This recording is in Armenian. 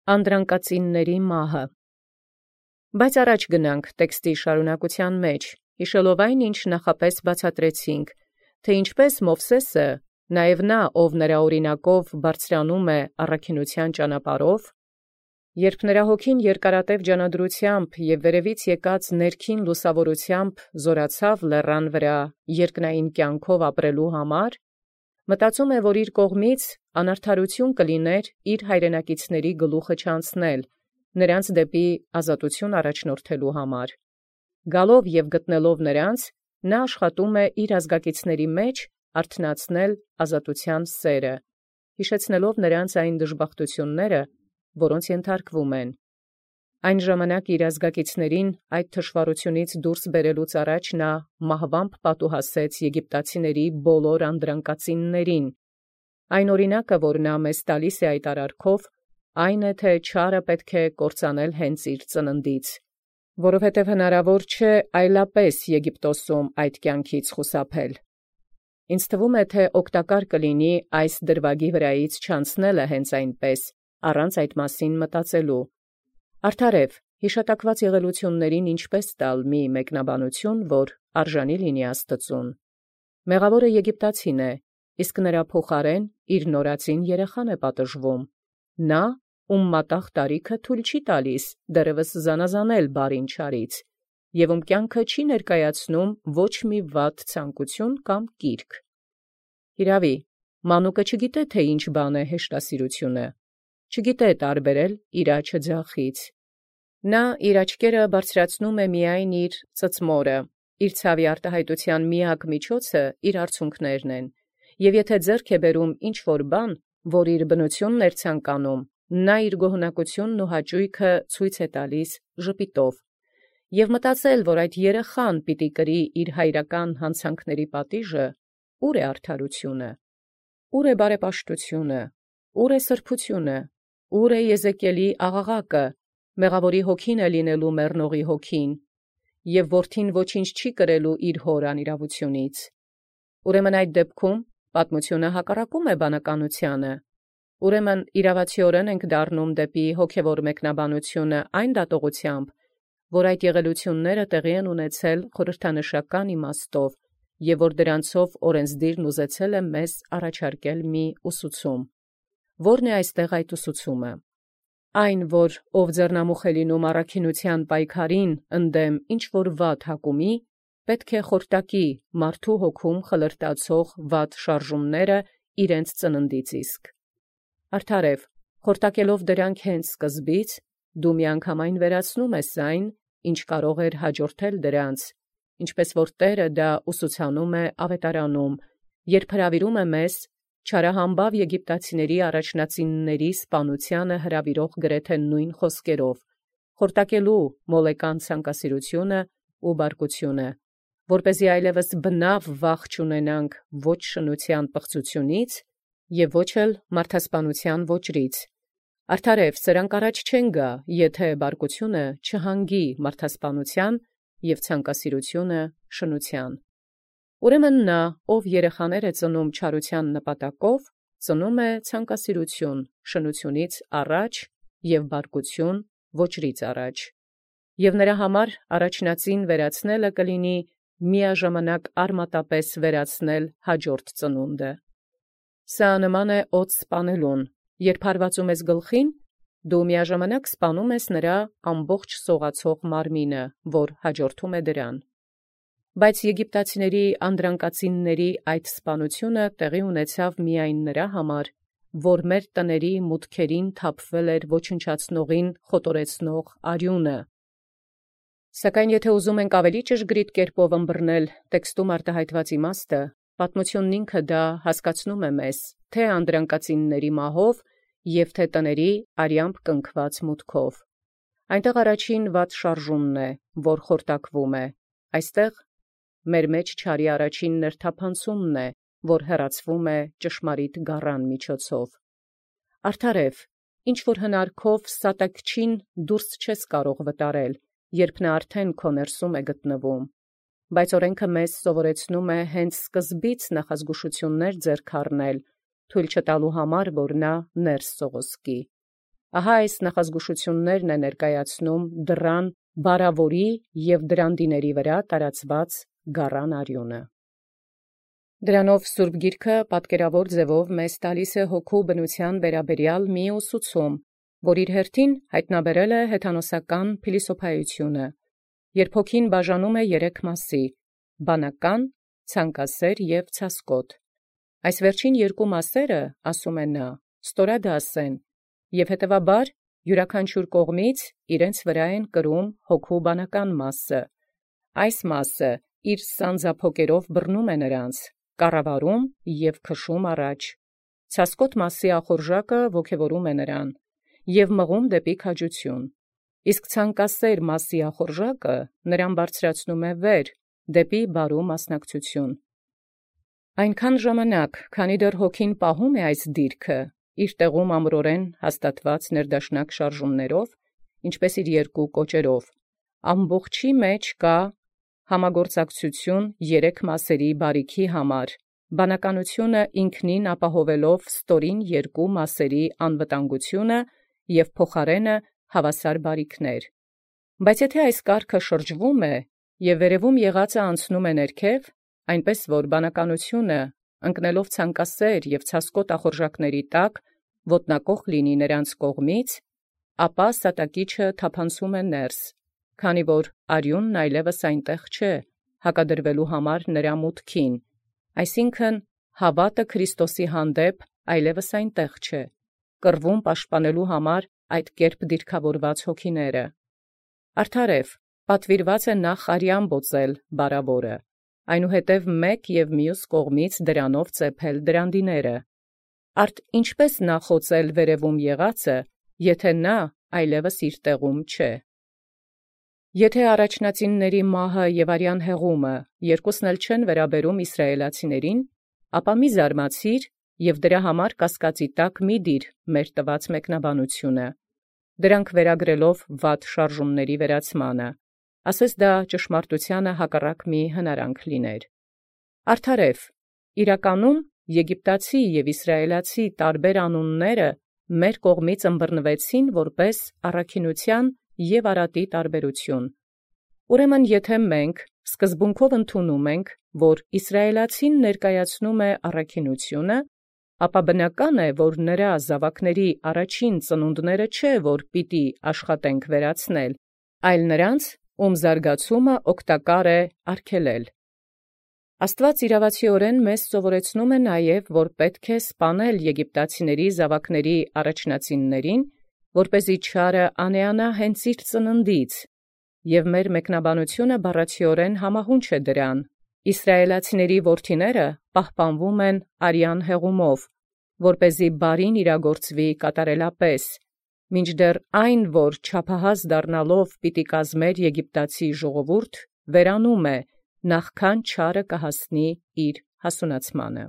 Անդրանկացինների մահը։ Բայց առաջ գնանք տեքստի շարունակության մեջ, հիշելով այն, ինչ նախապես բացատրեցինք, թե ինչպես Մովսեսը, նաև նա, ով նրա օրինակով բարձրանում է առաքինության ճանապարհով, երբ նրա հոգին երկարատև ջանադրությամբ և վերևից եկած ներքին լուսավորությամբ զորացավ լեռան վրա երկնային կյանքով ապրելու համար, մտածում է, որ իր կողմից անարդարություն կլիներ իր հայրենակիցների գլուխը չանցնել, նրանց դեպի ազատություն առաջնորդելու համար։ Գալով և գտնելով նրանց, նա աշխատում է իր ազգակիցների մեջ արթնացնել ազատության սերը, հիշեցնելով նրանց այն դժբախտությունները, որոնց ենթարկվում են։ Այն ժամանակ իր ազգակիցներին այդ թշվառությունից դուրս բերելուց առաջ նա մահվամբ պատուհասեց եգիպտացիների բոլոր անդրանկացիններին։ Այն օրինակը, որ նա մեզ տալիս է այդ արարքով, այն է, թե չարը պետք է կործանել հենց իր ծննդից, որովհետև հնարավոր չէ այլապես Եգիպտոսում այդ կյանքից խուսափել։ Ինձ թվում է, թե օգտակար կլինի այս դրվագի վրայից չանցնելը հենց այնպես, առանց այդ մասին մտածելու։ Արդարև, հիշատակված եղելություններին ինչպես տալ մի մեկնաբանություն, որ արժանի լինի Աստծուն։ Մեղավորը եգիպտացին է, իսկ նրա փոխարեն իր նորածին երեխան է պատժվում։ Նա, ում մատաղ տարիքը թույլ չի տալիս դեռևս զանազանել բարին չարից, և ում կյանքը չի ներկայացնում ոչ մի վատ ցանկություն կամ կիրք։ Հիրավի, մանուկը չգիտե, թե ինչ բան է հեշտասիրությունը, չգիտե տարբերել իր աջը ձախից։ Նա իր աչքերը բարձրացնում է միայն իր ծծմորը, իր ցավի արտահայտության միակ միջոցը իր արցունքներն են, և եթե ձեռք է բերում ինչ-որ բան, որ իր բնությունն էր ցանկանում, նա իր գոհունակությունն ու հաճույքը ցույց է տալիս ժպիտով։ Եվ մտածել, որ այդ երեխան պիտի կրի իր հայրական հանցանքների պատիժը, ուր է արդարությունը, ուր է բարեպաշտությունը, ուր է սրբությունը, ուր է Եզեկիելի աղաղակը, մեղավորի հոգին է լինելու մեռնողի հոգին, և որդին ոչինչ չի կրելու իր հոր անիրավությունից։ Ուրեմն այդ դեպքում պատմությունը հակառակում է բանականությանը։ Ուրեմն իրավացիորեն ենք դառնում դեպի հոգևոր մեկնաբանությունը այն դատողությամբ, որ այդ եղելությունները տեղի են ունեցել խորհրդանշական իմաստով, և որ դրանցով օրենսդիրն ուզեցել է մեզ առաջարկել մի ուսուցում։ Ո՞րն է այստեղ այդ ուսուցումը։ Այն, որ ով ձեռնամուխ է լինում առաքինության պայքարին ընդդեմ ինչ-որ վատ հակումի, պետք է խորտակի մարդու հոգում խլրտացող վատ շարժումները իրենց ծննդից իսկ։ Արդարև, խորտակելով դրանք հենց սկզբից, դու միանգամայն վերացնում ես այն, ինչ կարող էր հաջորդել դրանց, ինչպես որ Տերը դա ուսուցանում է ավետարանում, երբ հրավիրում է մեզ չարահամբավ եգիպտացիների առաջնածինների սպանությանը հրավիրող գրեթե նույն խոսքերով, խորտակելու մոլեկան ցանկասիրությունը ու բարկությունը, որպեսզի այլևս բնավ վախ չունենանք ոչ շնության պղծությունից և ոչ էլ մարդասպանության ոճրից։ Արդարև, սրանք առաջ չեն գա, եթե բարկությունը չհանգի մարդասպանության և ցանկասիրությունը շնության։ Ուրեմն նա, ով երեխաներ է ծնում չարության նպատակով, ծնում է ցանկասիրություն շնությունից առաջ և բարկություն ոճրից առաջ։ Եվ նրա համար առաջնածին վերացնելը կլինի միաժամանակ արմատապես վերացնել հաջորդ ծնունդը։ Սա նման է օձ սպանելուն, երբ հարվածում ես գլխին, դու միաժամանակ սպանում ես նրա ամբողջ սողացող մարմինը, որ հաջորդում է դրան։ Բայց եգիպտացիների անդրանկացինների այդ սպանությունը տեղի ունեցավ միայն նրա համար, որ մեր տների մուտքերին թափվել էր ոչնչացնողին խոտորեցնող արյունը։ Սակայն եթե ուզում ենք ավելի ճշգրիտ կերպով ըմբռնել տեքստում արտահայտված իմաստը, պատմությունն ինքը դա հասկացնում է մեզ, թե անդրանկացինների մահով և թե տների արյամբ կնքված մուտքով։ Այնտեղ առաջին վատ շարժումն է, որ խորտակվում է, այստեղ մեր մեջ չարի առաջին ներթափանցումն է, որ հեռացվում է ճշմարիտ գառան միջոցով։ Արդարև, ինչ-որ հնարքով սատակչին դուրս չես կարող վտարել, երբ նա արդեն քո ներսում է գտնվում, բայց օրենքը մեզ սովորեցնում է հենց սկզբից նախազգուշություններ ձեռք առնել, թույլ չտալու համար, որ նա ներս սողոսկի։ Ահա այս նախազգուշություններն է ներկայացնում դռան բարավորի և դրանդիների վրա տարածված գառան արյունը։ Դրանով Սուրբ Գիրքը պատկերավոր ձևով մեզ տալիս է հոգու բնության վերաբերյալ մի ուսուցում, որ իր հերթին հայտնաբերել է հեթանոսական փիլիսոփայությունը, երբ հոգին բաժանում է երեք մասի՝ բանական, ցանկասեր և ցասկոտ։ Այս վերջին երկու մասերը, ասում է նա, ստորադաս են, և հետևաբար յուրաքանչյուր կողմից իրենց վրա են կրում հոգու բանական մասը։ Այս մասը իր սանձափոկերով բռնում է նրանց, կառավարում և քշում առաջ։ Ցասկոտ մասի ախորժակը ոգևորում է նրան և մղում դեպի քաջություն, իսկ ցանկասեր մասի ախորժակը նրան բարձրացնում է վեր, դեպի բարու մասնակցություն։ Այնքան ժամանակ, քանի դեռ հոգին պահում է այս դիրքը, իր տեղում ամրորեն հաստատված ներդաշնակ շարժումներով, ինչպես իր երկու կոճերով, ամբողջի մեջ կա համագործակցություն երեք մասերի բարիքի համար, բանականությունը ինքնին ապահովելով ստորին երկու մասերի անվտանգությունը և փոխարենը հավասար բարիքներ։ Բայց եթե այս կարգը շրջվում է և վերևում եղածը անցնում է ներքև, այնպես որ բանականությունը, ընկնելով ցանկասեր և ցասկոտ ախորժակների տակ, ոտնակոխ լինի նրանց կողմից, ապա սատակիչը թափանցում է ներս, քանի որ արյունն այլևս այնտեղ չէ, հակադրվելու համար նրա մուտքին, այսինքն հավատը Քրիստոսի հանդեպ այլևս այնտեղ չէ, կռվում պաշտպանելու համար այդ կերպ դիրքավորված հոգիները։ Արդարև պատվիրված է նախ արյան բոծել բարավորը, այնուհետև մեկ և մյուս կողմից դրանով ծեփել դրանդիները։ Արդ ինչպես նախոծել վերևում եղածը, եթե նա այլևս իր տեղում չէ։ Եթե առաջնածինների մահը և արյան հեղումը երկուսն էլ չեն վերաբերում իսրայելացիներին, ապա մի զարմացիր և դրա համար կասկածի տակ մի դիր մեր տված մեկնաբանությունը, դրանք վերագրելով վատ շարժումների վերացմանը, ասես դա ճշմարտությանը հակառակ մի հնարանք լիներ։ Արդարև, իրականում եգիպտացի և իսրայելացի տարբեր անունները մեր կողմից ըմբռնվեցին որպես առաքինության և արատի տարբերություն։ Ուրեմն եթե մենք սկզբունքով ընդունում ենք, որ իսրայելացին ներկայացնում է առաքինությունը, ապա բնական է, որ նրա զավակների առաջին ծնունդները չէ, որ պիտի աշխատենք վերացնել, այլ նրանց, ում զարգացումը օգտակար է արգելել։ Աստված իրավացիորեն մեզ սովորեցնում է նաև, որ պետք է սպանել եգիպտացիների զավակների առաջնածիններին, որպեսզի չարը անեանա հենց իր ծննդից, և մեր մեկնաբանությունը բառացիորեն համահունչ է դրան։ Իսրայելացիների որդիները պահպանվում են արյան հեղումով, որպեսզի բարին իրագործվի կատարելապես, մինչդեռ այն, որ չափահաս դառնալով պիտի կազմեր եգիպտացի ժողովուրդ, վերանում է, նախքան չարը կհասնի իր հասունացմանը։